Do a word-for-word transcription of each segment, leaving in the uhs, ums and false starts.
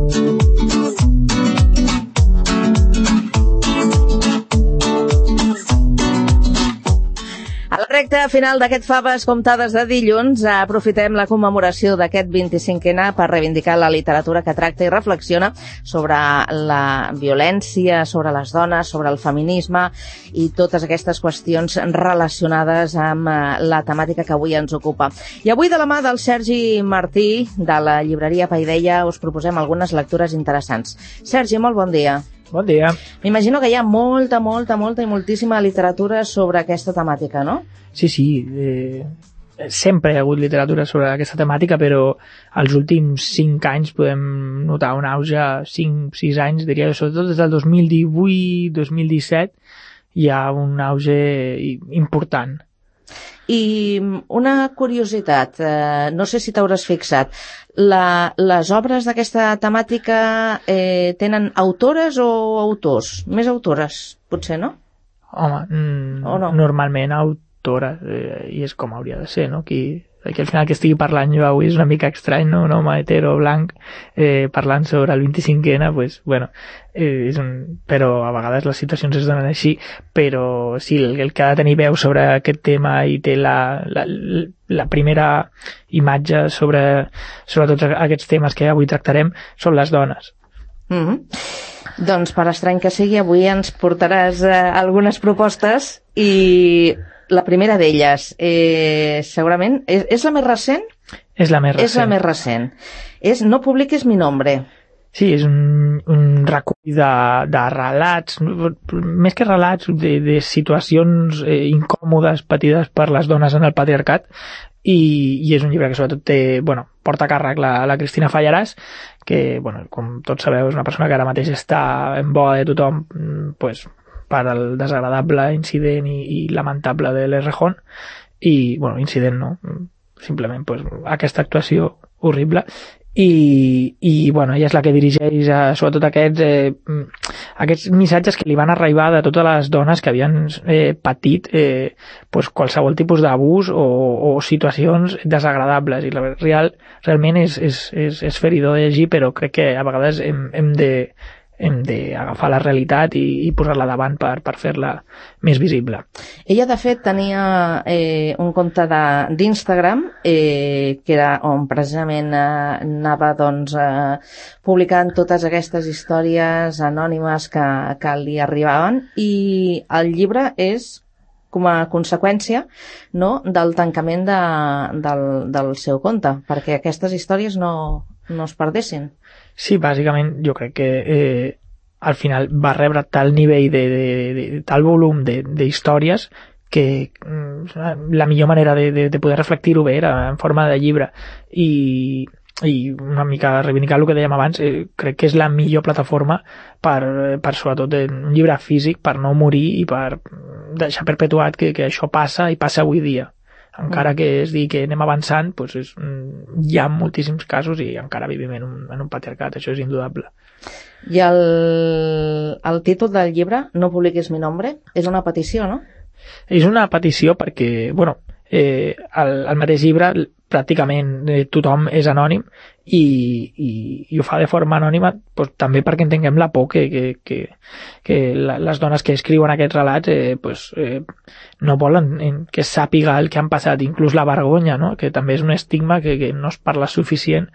A la recta final d'aquest Faves Comptades de dilluns aprofitem la commemoració d'aquest vint-i-cinquè per reivindicar la literatura que tracta i reflexiona sobre la violència, sobre les dones, sobre el feminisme i totes aquestes qüestions relacionades amb la temàtica que avui ens ocupa. I avui, de la mà del Sergi Martí, de la llibreria Paideia, us proposem algunes lectures interessants. Sergi, molt bon dia. Bon dia. M'imagino que hi ha molta, molta, molta i moltíssima literatura sobre aquesta temàtica, no? Sí, sí. Eh, sempre hi ha hagut literatura sobre aquesta temàtica, però els últims cinc anys podem notar un auge, cinc, sis anys, diria que sobretot des del dos mil divuit, dos mil disset, hi ha un auge important. I una curiositat, eh, no sé si t'hauràs fixat, la, les obres d'aquesta temàtica eh, tenen autores o autors? Més autores, potser, no? Home, mm, o no? Normalment autora, eh, i és com hauria de ser, no? Qui, que al final que estigui parlant jo avui és una mica estrany, no? Un home hetero blanc eh, parlant sobre el vint-i-cinquè, pues, bueno, eh, és un... però a vegades les situacions es donen així, però sí, el, el que ha de tenir veu sobre aquest tema i té la, la, la primera imatge sobre, sobre tots aquests temes que avui tractarem són les dones. Mm-hmm. Doncs per estrany que sigui, avui ens portaràs eh, algunes propostes i la primera d'elles, eh, segurament, és, és la més recent? És la més recent. És la més recent. És No publiques mi nombre. Sí, és un, un recull de, de relats, més que relats, de, de situacions eh, incòmodes patides per les dones en el patriarcat, i, i és un llibre que sobretot té, bueno, porta a càrrec la, la Cristina Fallarás, que, bueno, com tots sabeu, és una persona que ara mateix està en boga de tothom, pues, per al desagradable incident i, i lamentable de l'Errejón, i, bueno, incident no, simplement pues, aquesta actuació horrible, i, i bueno, ella és la que dirigeix a, sobretot aquests, eh, aquests missatges que li van arribar de totes les dones que havien eh, patit eh, pues, qualsevol tipus d'abús o, o situacions desagradables, i la real, realment és, és, és, és feridor de llegir, però crec que a vegades hem, hem de hem d'agafar la realitat i, i posar-la davant per, per fer-la més visible. Ella, de fet, tenia eh, un compte d'Instagram eh, que era on precisament eh, anava doncs, eh, publicant totes aquestes històries anònimes que, que li arribaven, i el llibre és com a conseqüència, no, del tancament de, del, del seu compte, perquè aquestes històries no, no es perdessin. Sí, bàsicament jo crec que eh, al final va rebre tal nivell de, de, de, de tal volum d'històries que mm, la millor manera de, de, de poder reflectir-ho bé era en forma de llibre, i, i una mica reivindicar el que dèiem abans, eh, crec que és la millor plataforma per, per sobretot un llibre físic, per no morir i per deixar perpetuat que, que això passa i passa avui dia. Encara que es digui que anem avançant, doncs és, hi ha moltíssims casos i encara vivim en un, en un patriarcat, això és indudable. I el, el títol del llibre, No publiquis mi nombre, és una petició, no? És una petició perquè, bueno, eh, el, el mateix llibre pràcticament eh, tothom és anònim, i, i, i ho fa de forma anònima pues, també perquè entenguem la por que, que, que, que la, les dones que escriuen aquests relats eh, pues, eh, no volen que sàpiga el que han passat, inclús la vergonya, no? Que també és un estigma que, que no es parla suficient,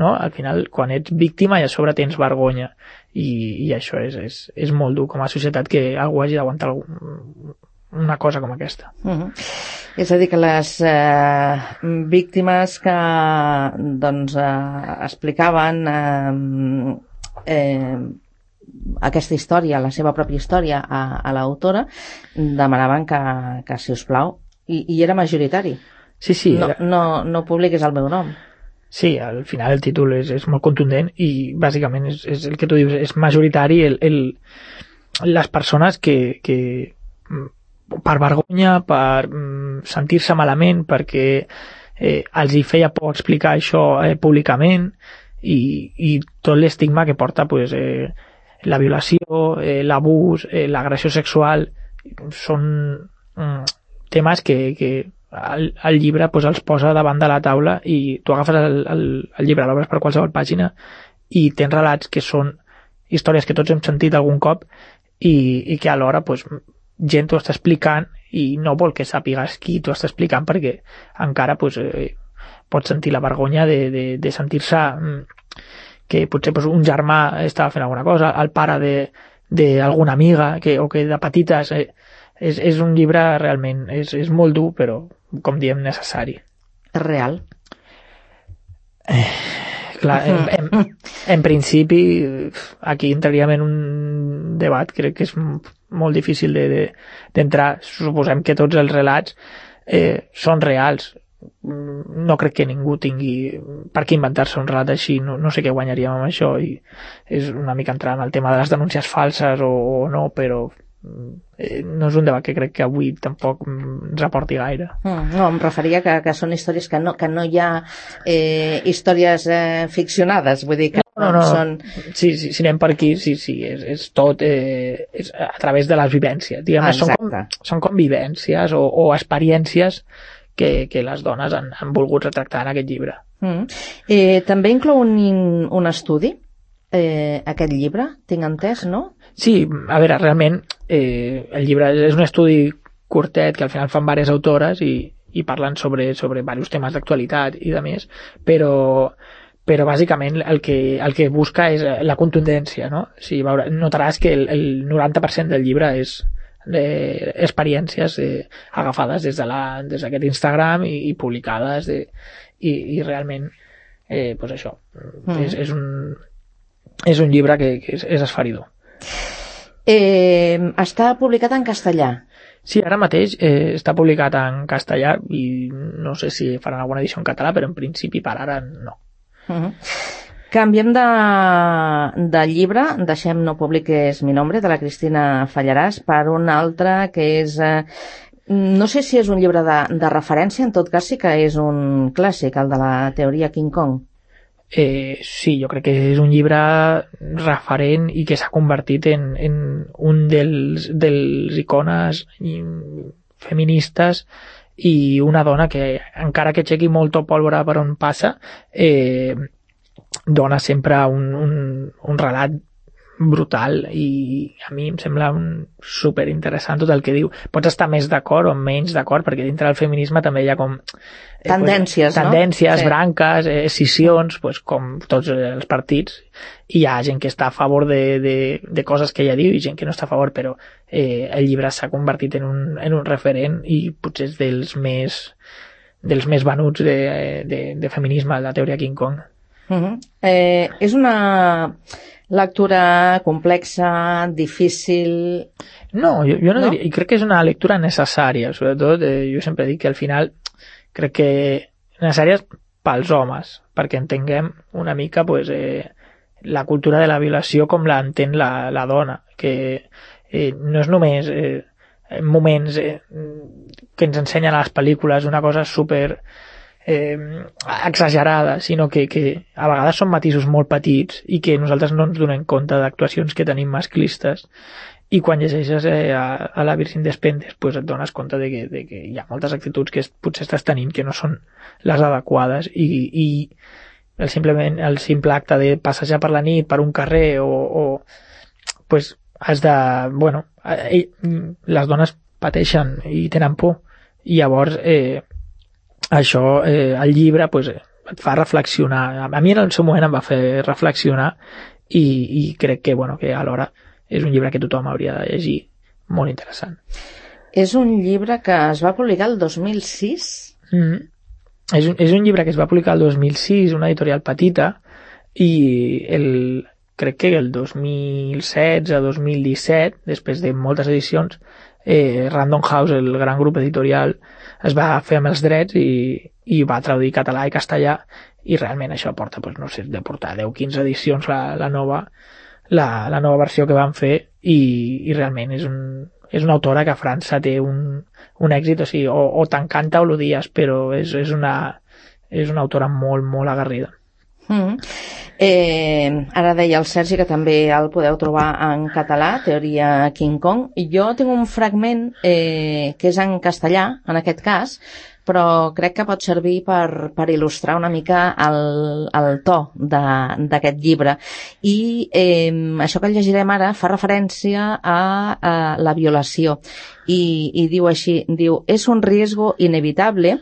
no? Al final, quan ets víctima i a sobre tens vergonya, i, i això és, és, és molt dur com a societat que algú hagi d'aguantar algun, una cosa com aquesta. Uh-huh. És a dir, que les eh, víctimes que doncs, eh, explicaven eh, eh, aquesta història, la seva pròpia història a, a l'autora, demanaven que, que si us plau, i, i era majoritari. Sí, sí. No, era... no, no publiquis el meu nom. Sí, al final el títol és, és molt contundent i bàsicament és, és el que tu dius, és majoritari el, el, les persones que, que per vergonya, per mm, sentir-se malament, perquè eh, els hi feia por explicar això eh, públicament, i, i tot l'estigma que porta pues, eh, la violació, eh, l'abús, eh, l'agressió sexual, són mm, temes que, que el, el llibre pues, els posa davant de la taula, i tu agafes el, el, el llibre, l'obres per qualsevol pàgina i tens relats que són històries que tots hem sentit algun cop i, i que alhora pues, gent t'ho està explicant i no vol que sàpigues qui t'ho està explicant perquè encara pues, eh, pots sentir la vergonya de, de, de sentir-se que potser pues, un germà estava fent alguna cosa, el pare d'alguna amiga que, o que de petites eh, és, és un llibre realment és, és molt dur però com diem necessari. És real? Eh, clar, en, en, en principi aquí entraríem en un debat crec que és molt difícil d'entrar, de, de, suposem que tots els relats eh, són reals, no crec que ningú tingui per què inventar-se un relat així, no, no sé què guanyaríem amb això i és una mica entrar en el tema de les denúncies falses o, o no, però eh, no és un debat que crec que avui tampoc ens aporti gaire. Mm, no, em referia que, que són històries que no, que no hi ha eh, històries eh, ficcionades, vull dir que no, no, no. Són... Sí, sí, si anem per aquí, sí, sí, és, és tot eh, és a través de les vivències, diguem, ah, són, com, són com vivències o, o experiències que, que les dones han, han volgut retractar en aquest llibre. Mm. Eh, també inclou un, un estudi, eh, aquest llibre, tinc entès, no? Sí, a veure, realment eh, el llibre és un estudi curtet que al final fan diverses autores i, i parlen sobre, sobre diversos temes d'actualitat i de més, però però bàsicament el que, el que busca és la contundència, no? O sigui, veure, notaràs que el, el noranta per cent del llibre és eh, experiències eh, agafades des de la, des d'aquest Instagram i, i publicades de, i, i realment eh, pues això mm. és, és, un, és un llibre que, que és, és esferidor. Eh, està publicat en castellà? Sí, ara mateix eh, està publicat en castellà i no sé si faran alguna edició en català, però en principi per ara no. Uh-huh. Canviem de, de llibre, deixem No publiques mi nombre, de la Cristina Fallarás, per un altre que és eh, no sé si és un llibre de, de referència, en tot cas sí que és un clàssic, el de la teoria King Kong. Eh, sí, jo crec que és un llibre referent i que s'ha convertit en, en un dels, dels icones feministes i una dona que encara que aixequi molta pólvora per on passa eh, dona sempre un, un, un relat brutal i a mi em sembla un super interessant tot el que diu. Pots estar més d'acord o menys d'acord perquè dintre del feminisme també hi ha com eh, tendències, pues, tendències, no? Sí. branques, eh, escissions, pues, com tots els partits, i hi ha gent que està a favor de, de, de coses que ella diu i gent que no està a favor, però eh, el llibre s'ha convertit en un, en un referent i potser és dels més dels més venuts de, de, de feminisme, la teoria King Kong. Uh-huh. eh, és una lectura complexa, difícil... No, jo, jo no, no diria, i crec que és una lectura necessària, sobretot eh, jo sempre dic que al final crec que necessària pels homes, perquè entenguem una mica pues, eh, la cultura de la violació com l'entén la, la dona, que eh, no és només eh, moments eh, que ens ensenyen a les pel·lícules una cosa super eh, exagerada, sinó que, que a vegades són matisos molt petits i que nosaltres no ens donem compte d'actuacions que tenim masclistes, i quan llegeixes eh, a, a la Virgin Despentes pues et dones compte de que, de que hi ha moltes actituds que potser estàs tenint que no són les adequades i, i el, simplement, el simple acte de passejar per la nit per un carrer o, o pues has de, bueno, eh, les dones pateixen i tenen por i llavors eh, això, eh, el llibre pues, et fa reflexionar. A mi en el seu moment em va fer reflexionar i, i crec que, bueno, que alhora és un llibre que tothom hauria de llegir, molt interessant. És un llibre que es va publicar el dos mil sis? Mm-hmm. És, un, és un llibre que es va publicar el dos mil sis, una editorial petita, i el, crec que el dos mil setze, dos mil disset, després de moltes edicions, eh, Random House, el gran grup editorial, es va fer amb els drets i, i va traduir català i castellà, i realment això porta, pues, no sé, de portar deu o quinze edicions la, la nova la, la nova versió que van fer i, i realment és, un, és una autora que a França té un, un èxit, o sigui, o, o t'encanta o l'odies, però és, és, una, és una autora molt, molt aguerrida. Mm. Eh, ara deia el Sergi que també el podeu trobar en català, Teoria King Kong. Jo tinc un fragment eh, que és en castellà, en aquest cas, però crec que pot servir per, per il·lustrar una mica el, el to d'aquest llibre. I eh, això que llegirem ara fa referència a, a la violació i, i diu així, diu, és un riesgo inevitable.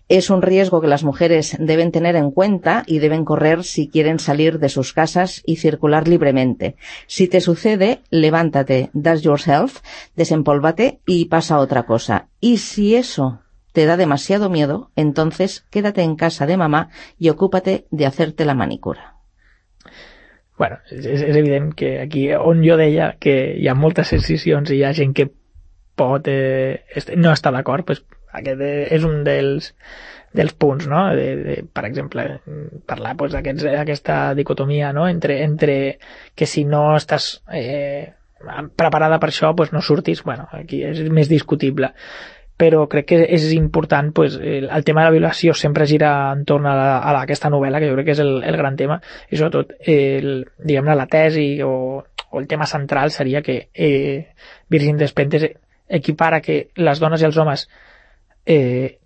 Es un riesgo que las mujeres deben tener en cuenta y deben correr si quieren salir de sus casas y circular libremente. Si te sucede, levántate, dust yourself, desempólvate y pasa otra cosa. Y si eso te da demasiado miedo, entonces quédate en casa de mamá y ocúpate de hacerte la manicura. Bueno, és, és evident que aquí on jo deia que hi ha moltes excisions i hi ha gent que pot eh, no estar d'acord, pues, aquest és un dels, dels punts, no? De, de, per exemple, parlar pues, d'aquesta dicotomia, no? entre, entre que si no estàs eh, preparada per això, pues, no surtis. Bueno, aquí és més discutible. Però crec que és important, pues, el, el tema de la violació sempre gira entorn a, la, a la, aquesta novel·la, que jo crec que és el, el gran tema, i sobretot el, diguem-ne, la tesi o, o el tema central seria que eh, Virgin Despentes equipara que les dones i els homes eh,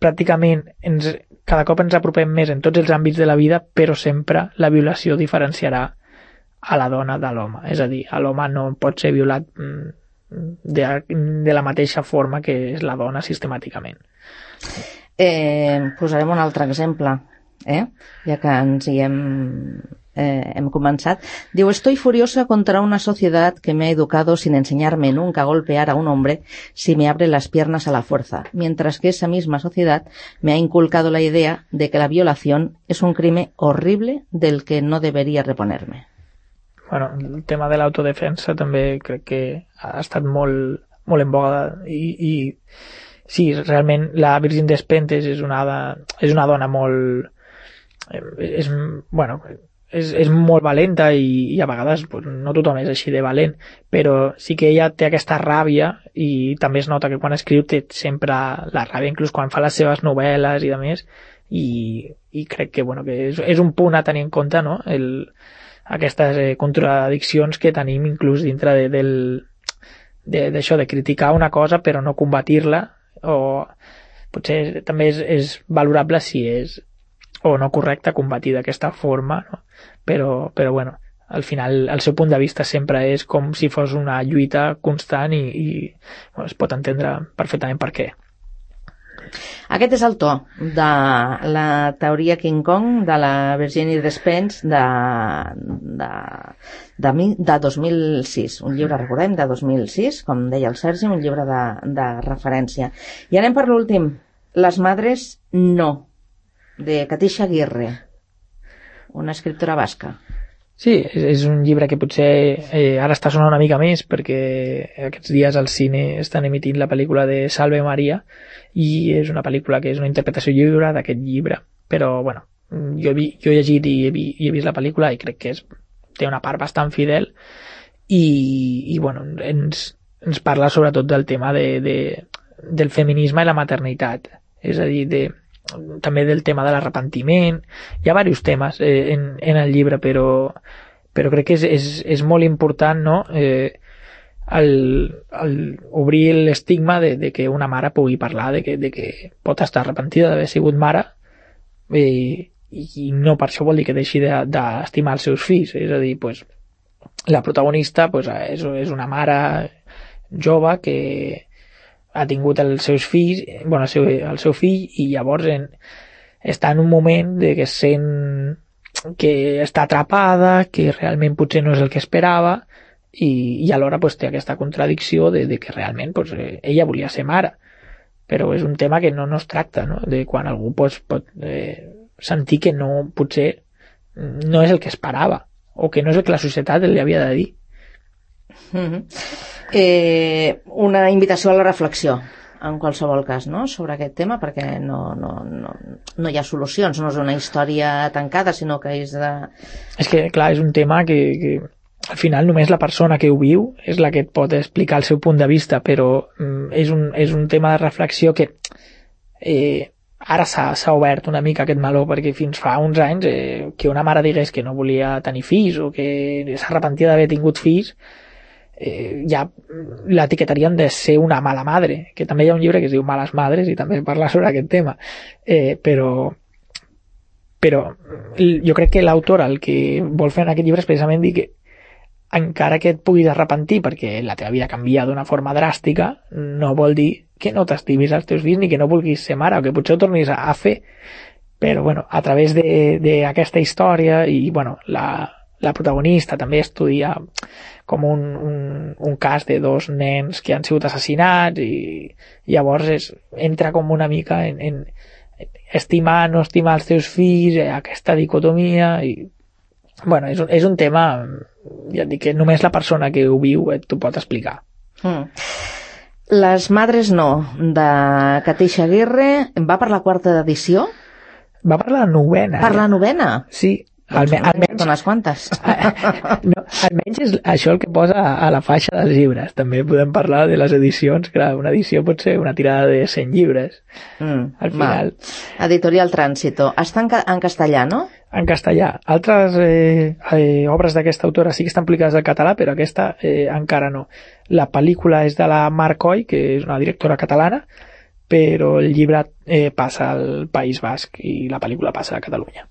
pràcticament ens, cada cop ens apropem més en tots els àmbits de la vida, però sempre la violació diferenciarà a la dona de l'home. És a dir, l'home no pot ser violat de, de la mateixa forma que és la dona sistemàticament. Eh, posarem un altre exemple, eh? Ja que ens hi hem... Eh, hem comenzado. Digo, estoy furiosa contra una sociedad que me ha educado sin enseñarme nunca a golpear a un hombre si me abre las piernas a la fuerza, mientras que esa misma sociedad me ha inculcado la idea de que la violación es un crimen horrible del que no debería reponerme. Bueno, el tema de l'autodefensa també crec que ha estat molt, molt en boga i, i sí, realment la Virgin Despentes és una, és una dona molt... És, bueno... És, és molt valenta i, i a vegades pues, no tothom és així de valent, però sí que ella té aquesta ràbia i també es nota que quan escriu té sempre la ràbia, inclús quan fa les seves novel·les i de més, i, i crec que, bueno, que és, és un punt a tenir en compte, no? El, aquestes eh, contradiccions que tenim inclús dintre de, del, de, d'això, de criticar una cosa però no combatir-la, o potser també és, és valorable si és o no correcte combatir d'aquesta forma, no? Però, però bueno, al final el seu punt de vista sempre és com si fos una lluita constant i, i bueno, es pot entendre perfectament per què. Aquest és el to de la teoria King Kong de la Virginia Despentes de, de, de, de dos mil sis, un llibre, recordem, de dos mil sis, com deia el Sergi, un llibre de, de referència. I anem per l'últim, Les madres no, de Katisha Aguirre, una escriptora basca. Sí, és, és un llibre que potser eh, ara està sonant una mica més perquè aquests dies al cine estan emitint la pel·lícula de Salve Maria i és una pel·lícula que és una interpretació lliure d'aquest llibre, però bueno, jo he, vi, jo he llegit i he, vi, i he vist la pel·lícula i crec que és, té una part bastant fidel i, i bueno, ens, ens parla sobretot del tema de, de, del feminisme i la maternitat, és a dir, de també del tema de l'arrepentiment. Hi ha diversos temes eh, en, en el llibre, però, però crec que és, és, és molt important, no? eh, el, el obrir l'estigma de, de que una mare pugui parlar, de que, de que pot estar arrepentida d'haver sigut mare eh, i no per això vol dir que deixi d'estimar els seus fills. És a dir, pues, la protagonista pues, és, és una mare jove que ha tingut els seus fills, bueno, el seu, el seu fill, i llavors en, està en un moment de que sent que està atrapada, que realment potser no és el que esperava, i, i alhora pues, té aquesta contradicció de, de que realment pues, ella volia ser mare, però és un tema que no, no es tracta, no? De quan algú pues, pot eh, sentir que no, potser no és el que esperava, o que no és el que la societat li havia de dir. Mm-hmm. Eh, una invitació a la reflexió en qualsevol cas, no?, sobre aquest tema, perquè no, no, no, no hi ha solucions, no és una història tancada, sinó que és de... És que, clar, és un tema que, que al final només la persona que ho viu és la que et pot explicar el seu punt de vista, però mm, és, un, és un tema de reflexió que eh, ara s'ha obert una mica aquest meló, perquè fins fa uns anys eh, que una mare digués que no volia tenir fills o que s'arrepentia d'haver tingut fills, eh, ja l'etiquetarien de ser una mala madre, que també hi ha un llibre que es diu Males Madres i també parla sobre aquest tema, eh, però però jo crec que l'autor el que vol fer en aquest llibre és precisament dir que encara que et puguis arrepentir perquè la teva vida canvia d'una forma dràstica, no vol dir que no t'estimis als teus fills ni que no vulguis ser mare o que potser ho tornis a fer, però bueno, a través d'aquesta història i bueno, la la protagonista també estudia com un, un, un cas de dos nens que han sigut assassinats i llavors és, entra com una mica en, en estimar, no estimar els teus fills, eh, aquesta dicotomia i bueno, és, és un tema ja et dic que només la persona que ho viu eh, t'ho pot explicar. Mm. Les Madres no, de Katisha Aguirre, va per la quarta edició? Va per la novena. Per la novena? Sí. Doncs almenys, almenys unes quantes. No, almenys és això el que posa a la faixa dels llibres. També podem parlar de les edicions. Clar, una edició pot ser una tirada de cent llibres. Mm, al final. Va. Editorial Tránsito. Està en, ca en castellà, no? En castellà. Altres eh, eh, obres d'aquesta autora sí que estan publicades al català, però aquesta eh, encara no. La pel·lícula és de la Mar Coll, que és una directora catalana, però el llibre eh, passa al País Basc i la pel·lícula passa a Catalunya.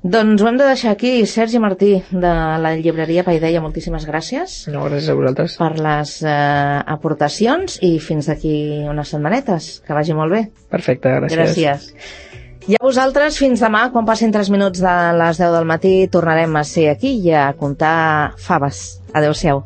Doncs ho hem de deixar aquí. Sergi Martí, de la llibreria Paideia, moltíssimes gràcies. No, gràcies a vosaltres. Per les eh, aportacions i fins d'aquí unes setmanetes. Que vagi molt bé. Perfecte, gràcies. Gràcies. I a vosaltres, fins demà, quan passin tres minuts de les deu del matí, tornarem a ser aquí i a contar faves. Adéu-siau.